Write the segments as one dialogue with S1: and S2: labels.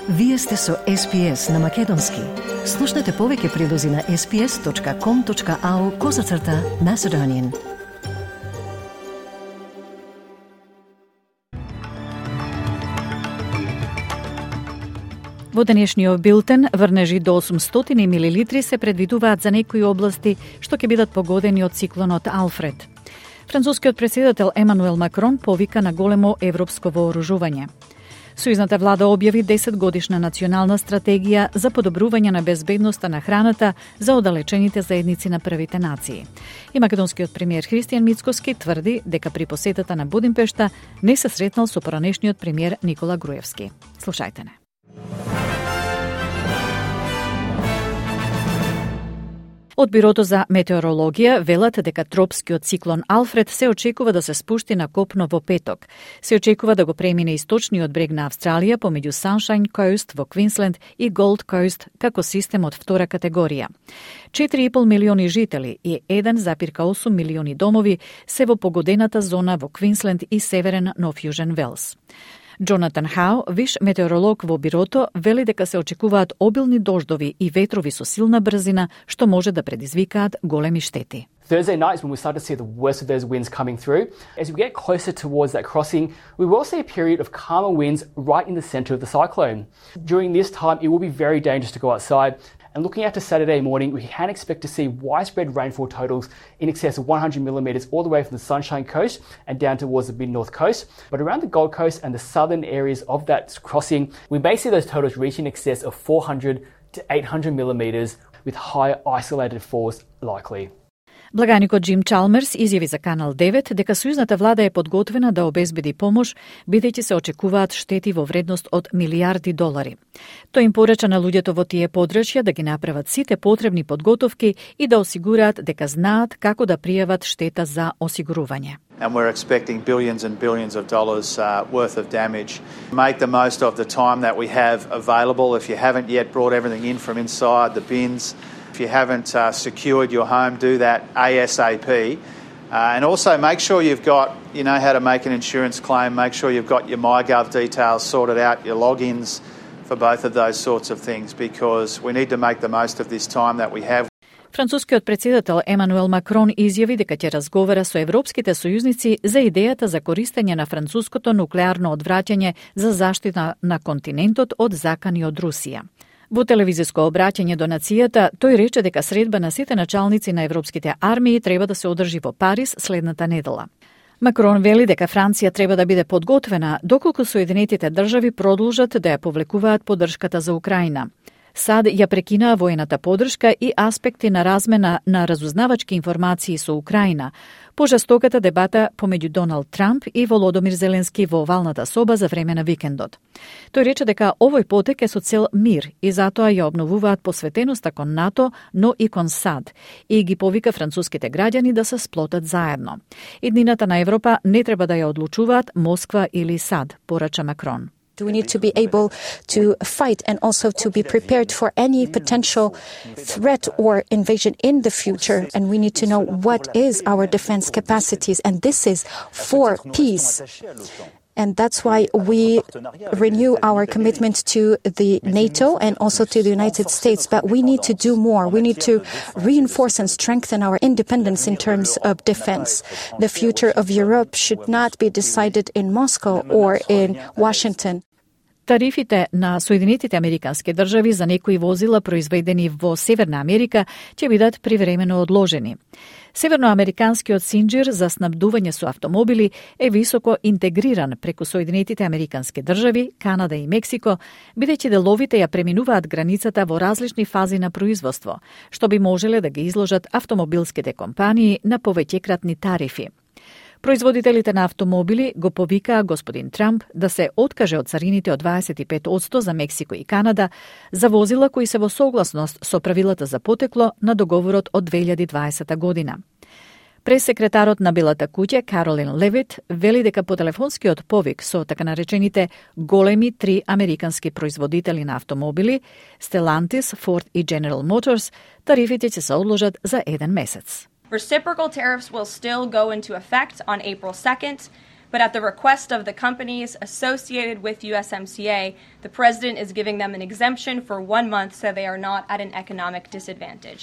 S1: Вие сте со SPS на Македонски. Слушнете повеќе прилози на sps.com.au/Macedonian.
S2: Во денешниот билтен врнежи до 800 милилитри се предвидуваат за некои области што ќе бидат погодени од циклонот Алфред. Францускиот претседател Емануел Макрон повика на големо европско вооружување. Сојузната влада објави 10-годишна национална стратегија за подобрување на безбедноста на храната за оддалечените заедници на првите нации. И македонскиот премиер Христијан Мицкоски тврди дека при посетата на Будимпешта не се сретнал со поранешниот премиер Никола Груевски. Слушајте не. Од Бирото за метеорологија велат дека тропскиот циклон Алфред се очекува да се спушти на копно во петок. Се очекува да го премине источниот брег на Австралија помеѓу Sunshine Coast во Квинсленд и Gold Coast како систем од втора категорија. 4,5 милиони жители и 1,8 милиони домови се во погодената зона во Квинсленд и северен Нов Јужен Велс. Джонатан Хау, виш метеоролог во Бирото, вели дека се очекуваат обилни дождови и ветрови со силна брзина, што може да предизвикаат големи штети.
S3: Thursday night is when we start to see the worst of those winds coming through. As we get closer towards that crossing, we will see a period of calmer winds right in the centre of the cyclone. During this time, it will be very dangerous to go outside. And looking out to Saturday morning, we can expect to see widespread rainfall totals in excess of 100 millimetres all the way from the Sunshine Coast and down towards the mid-north coast. But around the Gold Coast and the southern areas of that crossing, we may see those totals reach in excess of 400 to 800 millimetres with high isolated falls likely.
S2: Благаникот Джим Чалмерс изјави за Канал 9 дека сојузната влада е подготвена да обезбеди помош, бидејќи се очекуваат штети во вредност од милијарди долари. Тој им порача на луѓето во тие подрачја да ги направат сите потребни подготовки и да осигураат дека знаат како да пријават штета за осигурување.
S4: And we're expecting billions and billions of dollars worth of damage. Make the most of the time that we have available. If you haven't yet brought everything in from inside the bins, if you haven't secured your home, do that ASAP. And also make sure you've got, you know how to make an insurance claim, make sure you've got your MyGov details sorted out, your logins for both of those sorts of things, because we need to make the most of this time that we have.
S2: Францускиот претседател Емануел Макрон изјави дека ќе разговара со европските сојузници за идејата за користење на француското нуклеарно одвраќање за заштита на континентот од закани од Русија. Во телевизиско обраќање до нацијата, тој рече дека средба на сите началници на европските армии треба да се одржи во Париз следната недела. Макрон вели дека Франција треба да биде подготвена доколку Соединетите држави продолжат да ја повлекуваат поддршката за Украина. САД ја прекинаа воената поддршка и аспекти на размена на разузнавачки информации со Украина, по жестоката дебата помеѓу Доналд Трамп и Володомир Зеленски во овалната соба за време на викендот. Тој рече дека овој потек е со цел мир и затоа ја обновуваат посветеноста кон НАТО, но и кон САД, и ги повика француските граѓани да се сплотат заедно. Иднината на Европа не треба да ја одлучуваат Москва или САД, порача Макрон.
S5: We need to be able to fight and also to be prepared for any potential threat or invasion in the future. And we need to know what is our defense capacities. And this is for peace. And that's why we renew our commitment to the NATO and also to the United States. But we need to do more. We need to reinforce and strengthen our independence in terms of defense. The future of Europe should not be decided in Moscow or in Washington.
S2: Тарифите на Соединетите Американски држави за некои возила произведени во Северна Америка ќе бидат привремено одложени. Северноамериканскиот синџир за снабдување со автомобили е високо интегриран преку Соединетите Американски држави, Канада и Мексико, бидејќи деловите ја преминуваат границата во различни фази на производство, што би можеле да ги изложат автомобилските компании на повеќекратни тарифи. Производителите на автомобили го повикаа господин Трамп да се откаже од царините од 25% за Мексико и Канада за возила кои се во согласност со правилата за потекло на договорот од 2020 година. Пресекретарот на Белата куќа Каролин Левит вели дека по телефонскиот повик со така наречените големи 3 американски производители на автомобили, Stellantis, Ford и General Motors, тарифите ќе се одложат за 1 месец.
S6: Reciprocal tariffs will still go into effect on April 2nd, But at the request of the companies associated with USMCA, the president is giving them an exemption for 1 month so they are not at an economic disadvantage.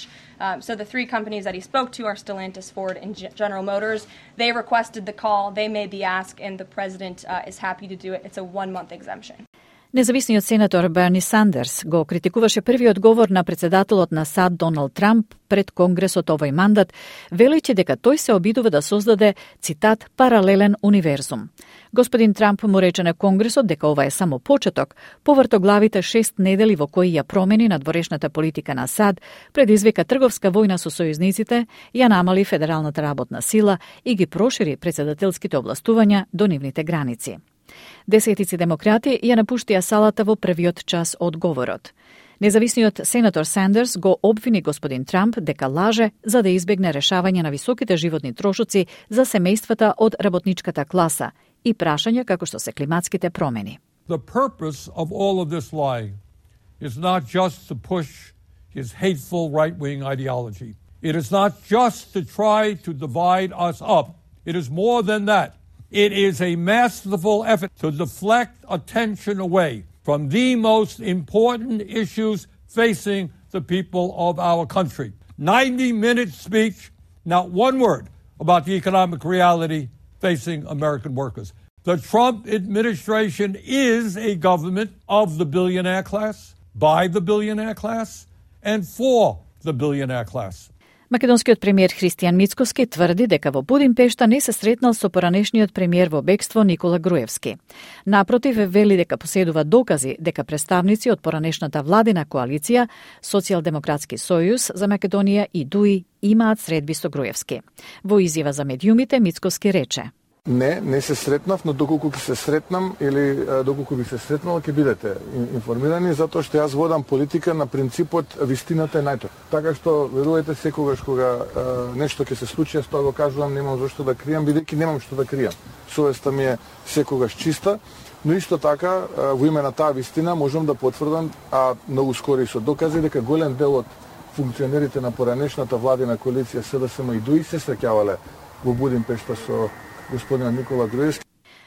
S6: So the 3 companies that he spoke to are Stellantis, Ford, and General Motors. They requested the call, they made the ask, and the president is happy to do it. It's a 1-month exemption.
S2: Независниот сенатор Берни Сандерс го критикуваше првиот говор на председателот на САД Доналд Трамп пред Конгресот овој мандат, велејќи дека тој се обидува да создаде, цитат, паралелен универзум. Господин Трамп му рече на Конгресот дека ова е само почеток, повртоглавите 6 недели во кои ја промени надворешната политика на САД, предизвика трговска војна со сојузниците, ја намали федералната работна сила и ги прошири председателските областувања до нивните граници. Десетици демократи ја напуштија салата во првиот час од говорот. Независниот сенатор Сандерс го обвини господин Трамп дека лаже за да избегне решавање на високите животни трошоци за семејствата од работничката класа и прашања како што се климатските промени.
S7: The purpose of all of this lying is not just to push his hateful right-wing ideology. It is not just to try to divide us up. It is more than that. It is a masterful effort to deflect attention away from the most important issues facing the people of our country. 90-minute speech, not one word about the economic reality facing American workers. The Trump administration is a government of the billionaire class, by the billionaire class, and for the billionaire class.
S2: Македонскиот премиер Христијан Мицкоски тврди дека во Будимпешта не се сретнал со поранешниот премиер во бегство Никола Груевски. Напротив, вели дека поседува докази дека представници од поранешната владина коалиција, Социјалдемократски сојуз за Македонија и ДУИ имаат средби со Груевски. Во изјава за медиумите Мицкоски рече:
S8: Не се сретнав, но доколку ќе се сретнам или доколку би се сретнал, ќе бидете информирани, затоа што јас водам политика на принципот вистината е најтој. Така што верувајте, секогаш кога нешто ќе се случи, јас тоа го кажувам, немам зашто да кријам, бидејќи немам што да кријам. Совеста ми е секогаш чиста, но исто така во име на таа вистина можам да потврдам, а многу скоро и со докази, дека голем дел од функционерите на поранешната владина коалиција СДСМ и ДУИ се среќавале во Будимпешта со господинот Никола Груевски.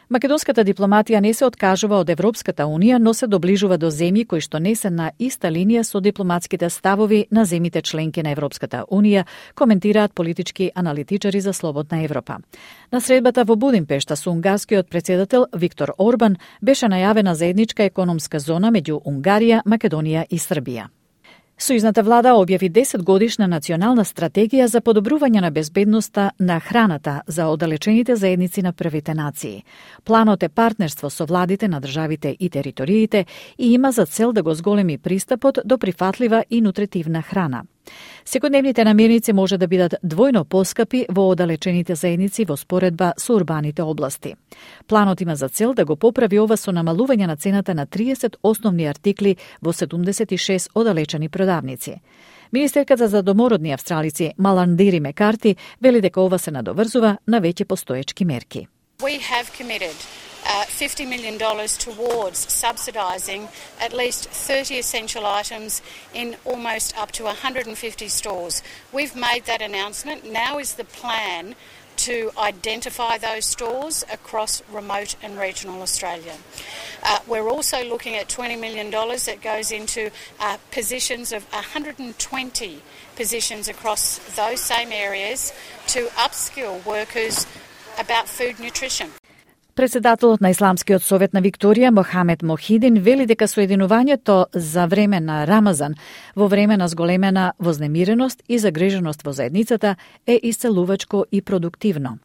S2: Македонската дипломатија не се откажува од Европската унија, но се доближува до земји кои што не се на иста линија со дипломатските ставови на земјите членки на Европската унија, коментираат политички аналитичари за Слободна Европа. На средбата во Будимпешта со унгарскиот председател Виктор Орбан беше најавена заедничка економска зона меѓу Унгарија, Македонија и Србија. Сојузната влада објави 10-годишна национална стратегија за подобрување на безбедноста на храната за оддалечените заедници на првите нации. Планот е партнерство со владите на државите и териториите и има за цел да го зголеми пристапот до прифатлива и нутритивна храна. Секојдневните намирници може да бидат двојно поскапи во оддалечените заедници во споредба со урбаните области. Планот има за цел да го поправи ова со намалување на цената на 30 основни артикли во 76 оддалечени продавници. Министерката за домородни австралици Маландири Мекарти вели дека ова се надоврзува на веќе постоечки мерки.
S9: We have committed $50 million towards subsidising at least 30 essential items in almost up to 150 stores. We've made that announcement. Now is the plan to identify those stores across remote and regional Australia. We're also looking at $20 million that goes into positions of 120 positions across those same areas to upskill workers about food nutrition.
S2: Председателот на Исламскиот совет на Викторија, Мохамед Мохидин, вели дека соединувањето за време на Рамазан во време на зголемена вознемиреност и загриженост во заедницата е исцелувачко и продуктивно.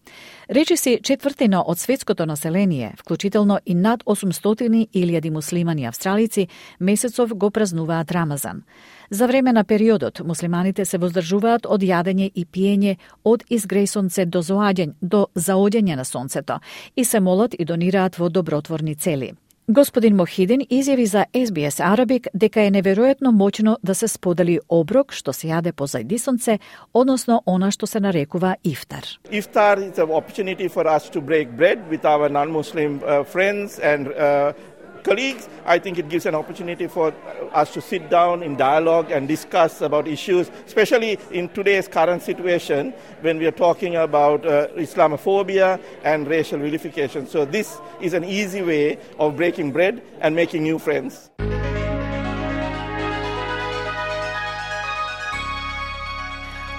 S2: Речиси четвртина од светското население, вклучително и над 800.000 муслимани австралици, месецов го празнуваат Рамазан. За време на периодот, муслиманите се воздржуваат од јадење и пиење од изгреј сонце до заоѓање на сонцето и се молат и донираат во добротворни цели. Господин Мохидин изјави за SBS Arabic дека е неверојатно моќно да се сподели оброк што се јаде позајди сонце, односно она што се нарекува ифтар.
S10: Iftar is an opportunity for us to break bread with our non-Muslim friends and colleagues, I think it gives an opportunity for us to sit down in dialogue and discuss about issues, especially in today's current situation when we are talking about Islamophobia and racial vilification. So this is an easy way of breaking bread and making new friends.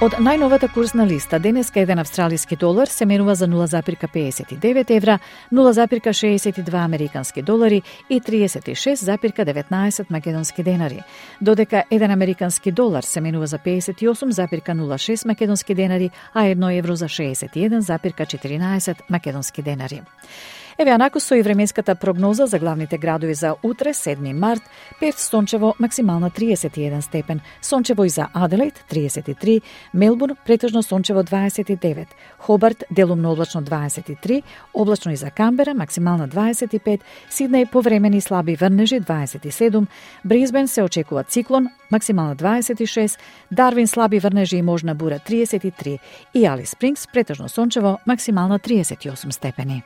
S2: Од најновата курсна листа, денеска еден австралиски долар се менува за 0,59 евра, 0,62 американски долари и 36,19 македонски денари, додека еден американски долар се менува за 58,06 македонски денари, а 1 евро за 61,14 македонски денари. Еве анако со и временската прогноза за главните градови за утре, 7 март, Перт сончево максимална 31 степен, сончево и за Аделаид 33, Мелбурн претежно сончево 29, Хобарт делумно облачно 23, облачно и за Камбера максимална 25, Сиднеј повремени слаби врнежи 27, Брисбен се очекува циклон максимална 26, Дарвин слаби врнежи и можна бура 33 и Алис Спрингс претежно сончево максимална 38 степени.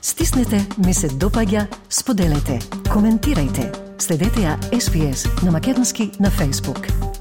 S1: Стиснете, ми се допаѓа, споделете, коментирајте. Следете ја SPS на Македонски на Facebook.